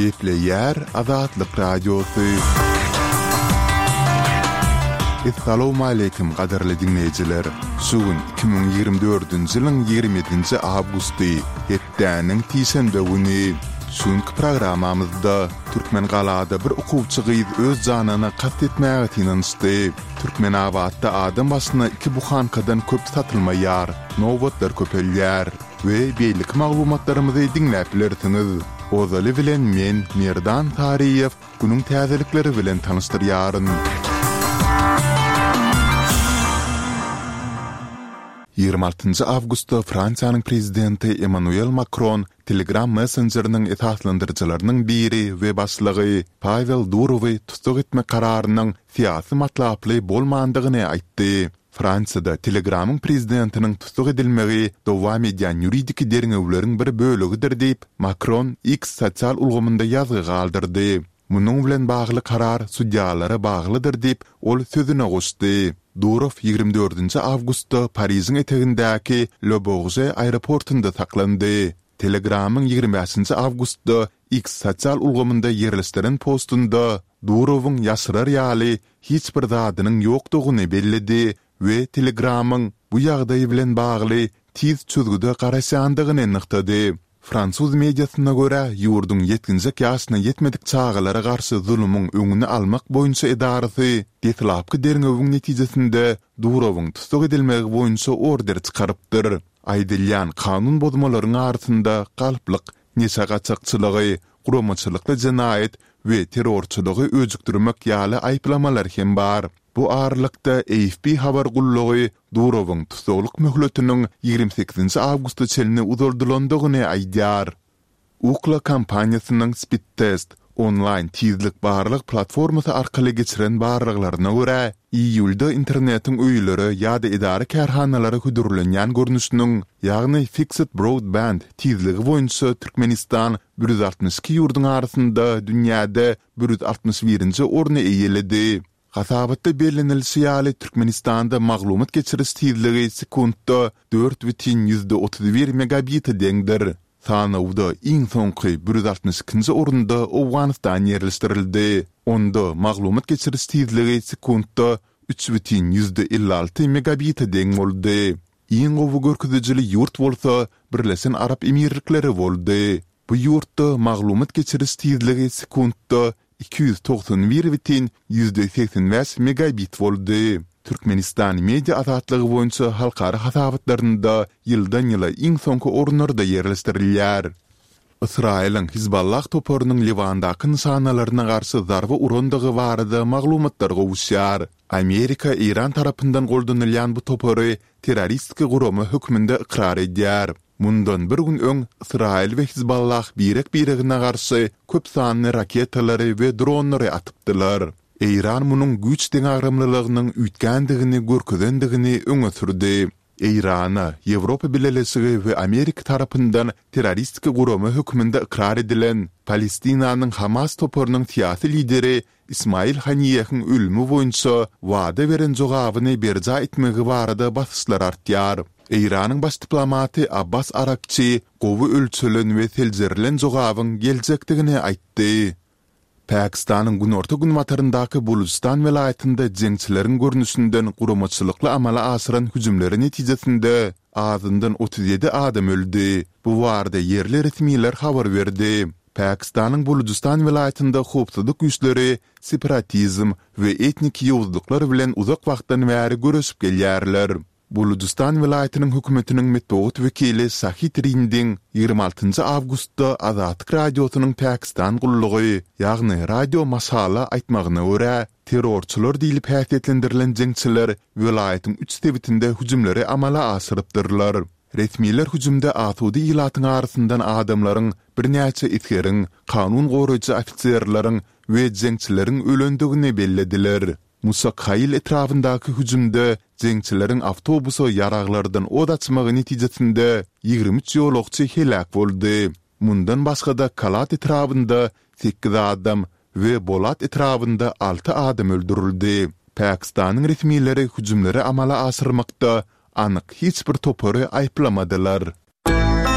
Gepleýär Azatlyk Radiosy. Essalawmaleýkim gadyrly diňleýjiler! Şu gün 2024-nji ýylyň 27-nji awgusty, hepdäniň sişenbe güni. Şu günki programmamyzda Türkmengalada bir okuwçy gyz öz janyna kast etmäge synanyşdy. Türkmenabatda adam başyna iki buhankadan köp satylmaýar, nobatlar köpelýär we beýleki maglumatlarymyzy diňläp bilersiňiz. Ozaly bilen men, Merdan Saryýew, günüň täzelikleri bilen tanyşdyrýaryn. 26 awgustda Fransiýanyň prezidenti Emmanuel Makron Telegram messenjeriniň esaslandyryjylarynyň biri we başlygy Pawel Durowy tussag etmek kararynyň syýasy matlaply bolmandygyny aýtdy. Fransiýada Telegramyň prezidentiniň tussag edilmegi dowam edýän ýuridiki derňewleriň bir bölegidir diýip, Makron X sosial ulgamynda ýazgy galdyrdy. Munuň bilen bagly karar sudýalara baglydyr diýip, ol sözüne goşdy. Durow 24 nji awgustda Parižiň etegindäki Le Bourget aeroportunda saklandy. Telegramyň 25 nji awgustda X sosial ulgamynda ýerleşdiren postunda Durowyň ýaşyrar ýaly hiç bir zadynyň ýokdugyny belledi we Telegramyň bu ýagdaý bilen bagly tiz çözgüde garaşýandygyny nygtady. Fransuz mediasyna görä, ýurduň ýetginjek ýaşyna ýetmedik çagalara garşy zulumyň öňüni almak boýunça edarasy deslapky derňewiň netijesinde Durowyň tussag edilmegi boýunça order çykarypdyr. Aýdylýan kanun bozmalaryň arasynda galplyk, neşe gaçakçylygy, guramaçylykly jenaýat we terrorçylygy öjükdirmek ýaly aýyplamalar hem bar. Bu aralykda, AFP habar gullugy Durowyň tussaglyk möhletiniň 28 awgusta çenli uzaldylandygyny aýdýar. Ookla kompaniýasynyň Speedtest onlaýn tizlik barlag platformasy arkaly geçiren barlaglaryna görä, iýulda internetiň öýlere ýa-da edara-kärhanalara hödürlenýän görnüşiniň, ýagny Fixed Broadband tizligi boýunça Türkmenistan 162 ýurduň arasynda dünýäde 161-nji orny eýeledi. Hasabatda bellenilişi ýaly, Türkmenistanda maglumat geçiriş tizligi sekuntda 4,31 megabite deňdir. Sanawda iň soňky 162-nji orunda Owganystan ýerleşdirildi. Onda maglumat geçiriş tizligi sekuntda 3,56 megabite deň boldy. Iň gowy görkezijili ýurt bolsa Birleşen Arap Emirlikleri boldy. Bu ýurtda maglumat geçiriş tizligi sekuntda 291,85 megabit boldy. Türkmenistan media azatlygy boýunça halkara hasabatlarynda ýyldan-ýyla iň soňky orunlarda ýerleşdirilýär. Ysraýylyň Hizballah toparynyň Liwandaky nyşanalaryna garşy zarba urandygy barada maglumatlar gowuşýar. Amerika Eýran tarapyndan goldanylýan bu topary terroristik gurama hökmünde ykrar edýär. Mundan bir gün öň Ysraýyl we Hizballah birek-biregine garşy köp sanly raketalary we dronlary atypdylar. Eýran munuň güýç deňagramlylygynyň üýtgändigini görkezendigini öňe sürdi. Eýrana Ýewropa Bileleşigi we Amerika tarapyndan terroristik gurama hökmünde ykrar edilen Palestinanyň Hamas toparynyň syýasy lideri Ismail Haniýehiň ölümi boýunça wada beren jogabyny berjaý etmegi barada basyşlar artýar. Eýranyň baş diplomaty Abbas Arakçi gowy ölçelen we seljerilen jogabyň geljekdigini aýtdy. Pakistanyň günorta-günbataryndaky Bulujystan welaýatynda jeňçileriň görnüşinden guramaçylykly amala aşyran hüjümleri netijesinde azyndan 37 adam öldi. Bu barada ýerli resmiler habar berdi. Pakistanyň Bulujystan welaýatynda howpsuzlyk güýçleri separatizm we etnik ýowuzlyklar bilen uzak wagtdan bäri göreşip gelýärler. Bulujystan welaýatynyň hökümetiniň metbugat wekili Şahid Rindiň 26 awgustda Azatlyk Radiosynyň Pakistan gullugy, ýagny Radio Maşala aýtmagyna görä, terrorçylar diýlip häsiýetlendirilen jeňçiler welaýatyň üç sebitinde hüjümleri amala aşyrypdyrlar. Resmiler hüjümde asuda ilatyň arasyndan adamlaryň, birnäçe esgeriň, kanun goraýjy ofiserleriň we jeňçileriň ölendigini bellediler. Musakhail etrabyndaky hüjümde jeňçileriň awtobusa ýaraglardan od açmagy netijesinde 23 ýolagçy heläk boldy. Mundan başga-da Kalat etrabynda sekiz adam we Bolat etrabynda alty adam öldürildi. Pakistanyň resmileri hüjümleri amala aşyrmakda anyk hiç bir topary aýyplamadylar.